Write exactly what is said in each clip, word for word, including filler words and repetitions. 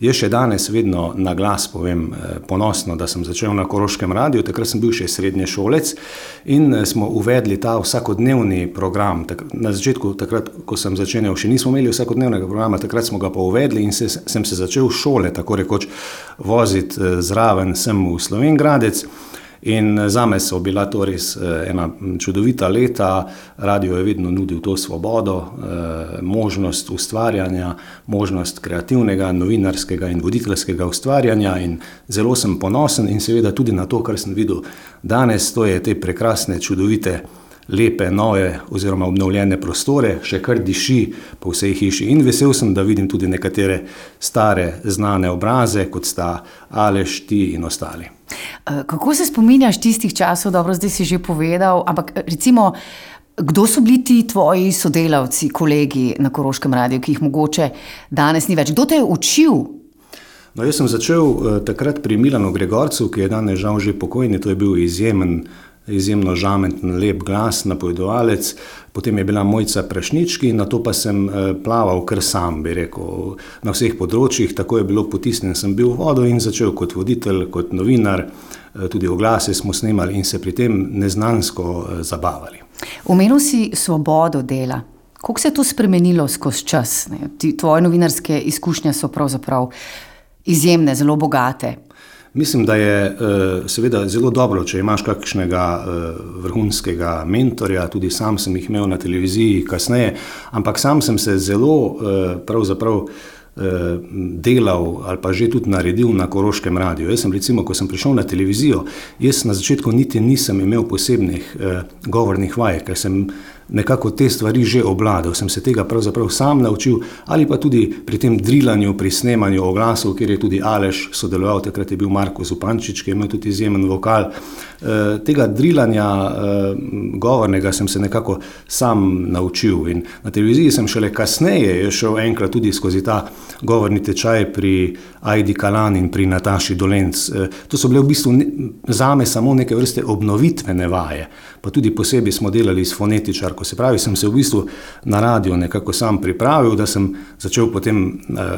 Jaz še danes vedno na glas povem ponosno, da sem začel na Koroškem radiju, takrat sem bil še srednješolec in smo uvedli ta vsakodnevni program. Na začetku, takrat, ko sem začenjal, še nismo imeli vsakodnevnega programa, takrat smo ga pa uvedli in se, sem se začel šole, tako rekoč, voziti zraven sem v Slovenj Gradec. In zame so bila to res ena čudovita leta, radio je vedno nudil to svobodo, možnost ustvarjanja, možnost kreativnega, novinarskega in voditeljskega ustvarjanja in zelo sem ponosen in seveda tudi na to, kar sem videl danes, to je te prekrasne, čudovite, lepe, nove oziroma obnovljene prostore, še kar diši po vsej hiši in vesel sem, da vidim tudi nekatere stare, znane obraze, kot sta Aleš, ti in ostali. Kako se spominjaš tistih časov, dobro, zdaj si že povedal, ampak recimo, kdo so bili ti tvoji sodelavci, kolegi na Koroškem radiju, ki jih mogoče danes ni več? Kdo te je učil? No, jaz sem začel uh, takrat pri Milanu Gregorcu, ki je danes žal že pokojni, to je bil izjemen izjemno žamenten, lep glas, napovedovalec, potem je bila Mojca Prašnički, nato pa sem plaval kar sam, bi rekel, na vseh področjih, tako je bilo potisnjen, sem bil v vodo in začel kot voditelj, kot novinar, tudi oglase smo snemali in se pri tem neznansko zabavali. Omenil si svobodo dela. Kako se je to spremenilo skozi čas? Tvoje novinarske izkušnje so pravzaprav izjemne, zelo bogate. Mislim, da je seveda zelo dobro, če imaš kakšnega vrhunskega mentorja, tudi sam sem jih imel na televiziji kasneje, ampak sam sem se zelo pravzaprav delal ali pa že tudi naredil na Koroškem radiju. Jaz sem recimo, ko sem prišel na televizijo, jaz na začetku niti nisem imel posebnih govornih vaj, ker sem nekako te stvari že obladal, sem se tega pravzaprav sam naučil ali pa tudi pri tem drilanju, pri snemanju oglasov, kjer je tudi Aleš sodeloval, takrat je bil Marko Zupančič, ki je imel tudi izjemen vokal. E, tega drilanja e, govornega sem se nekako sam naučil in na televiziji sem šele kasneje šel enkrat tudi skozi ta govorni tečaj pri Ajdi Kalan in pri Nataši Dolenc. E, to so bile v bistvu ne, zame samo neke vrste obnovitvene vaje, pa tudi posebej smo delali s fonetičar. Ko se pravi, sem se v bistvu na radio nekako sam pripravil, da sem začel potem uh,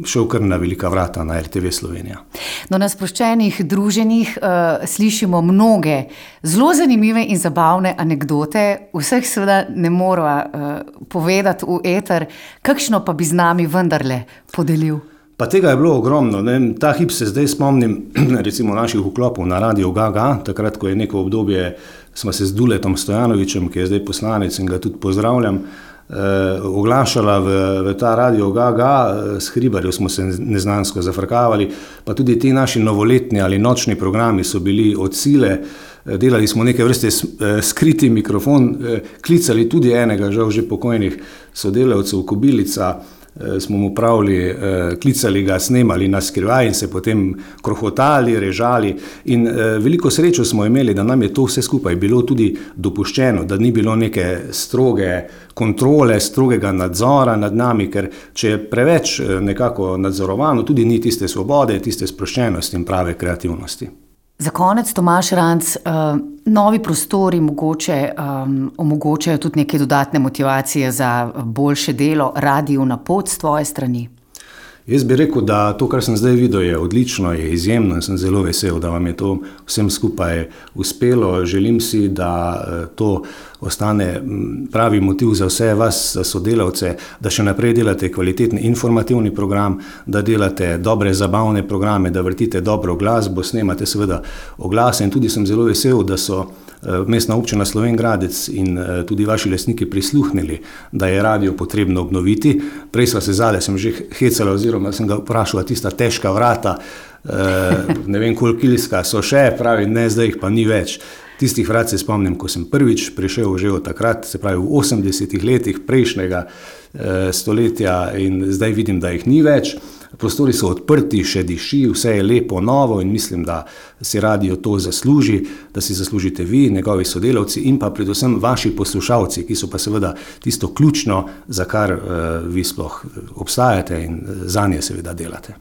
šel kar na velika vrata na R T V Slovenija. No, na sproščenih druženjih uh, slišimo mnoge zelo zanimive in zabavne anekdote, vseh seveda ne morava uh, povedati v eter, kakšno pa bi z nami vendarle podelil? Pa tega je bilo ogromno. Ne? Ta hip se zdaj spomnim recimo naših vklopov na Radio Gaga, takrat, ko je neko obdobje, smo se z Duletom Stojanovičem, ki je zdaj poslanec in ga tudi pozdravljam, eh, oglašala v, v ta Radio Gaga, s Hribarjo smo se neznansko zafrkavali, pa tudi ti naši novoletni ali nočni programi so bili od sile, delali smo neke vrste skriti mikrofon, klicali tudi enega, žal že pokojnih sodelavcev, Kobilica, smo mu pravili, klicali ga, snemali na skrivaj in se potem krohotali, režali in veliko srečo smo imeli, da nam je to vse skupaj bilo tudi dopuščeno, da ni bilo neke stroge kontrole, strogega nadzora nad nami, ker če je preveč nekako nadzorovano, tudi ni tiste svobode, tiste sproščenosti in prave kreativnosti. Za konec, Tomaž Ranc, uh, novi prostori mogoče um, omogočajo tudi neke dodatne motivacije za boljše delo, radiju na pot s tvoje strani? Jaz bi rekel, da to, kar sem zdaj videl, je odlično, je izjemno in sem zelo vesel, da vam je to vsem skupaj uspelo. Želim si, da to ostane pravi motiv za vse vas, za sodelavce, da še naprej delate kvalitetni informativni program, da delate dobre zabavne programe, da vrtite dobro glasbo, snemate seveda oglase in tudi sem zelo vesel, da so Mestna občina Slovenj Gradec in tudi vaši lastniki prisluhnili, da je radio potrebno obnoviti. Prej sva se zale, sem že hecala oziroma sem ga vprašala, tista težka vrata, ne vem kolikilska so še, pravi, ne, zdaj jih pa ni več. Tistih vrat se spomnim, ko sem prvič prišel že od takrat, se pravi v osemdesetih letih prejšnjega stoletja in zdaj vidim, da jih ni več. Prostori so odprti, še diši, vse je lepo, novo in mislim, da si radio to zasluži, da si zaslužite vi, njegovi sodelavci in pa predvsem vaši poslušalci, ki so pa seveda tisto ključno, za kar uh, vi sploh obstajate in zanje seveda delate.